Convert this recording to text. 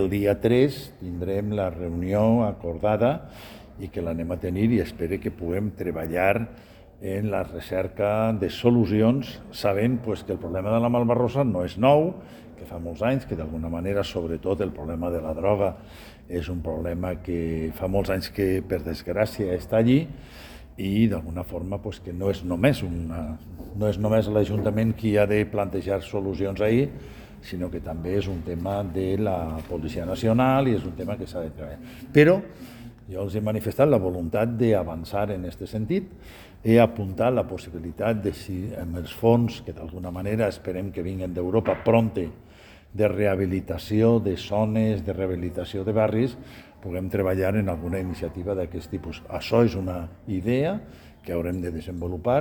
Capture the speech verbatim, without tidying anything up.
El dia tres tindrem la reunió acordada i que l'anem a tenir i espero que puguem treballar en la recerca de solucions, sabent pues, que el problema de la malbarrosa no és nou, que fa molts anys, que d'alguna manera, sobretot el problema de la droga, és un problema que fa molts anys que, per desgràcia, està allí i d'alguna forma pues, que no és només una, no és només l'Ajuntament qui ha de plantejar solucions ahir, sinó que també és un tema de la Policia Nacional i és un tema que s'ha de treballar. Però jo els he manifestat la voluntat d'avançar en aquest sentit. He apuntat la possibilitat de, si amb els fons, que d'alguna manera esperem que vinguin d'Europa pronte, de rehabilitació de zones, de rehabilitació de barris, puguem treballar en alguna iniciativa d'aquest tipus. Això és una idea que haurem de desenvolupar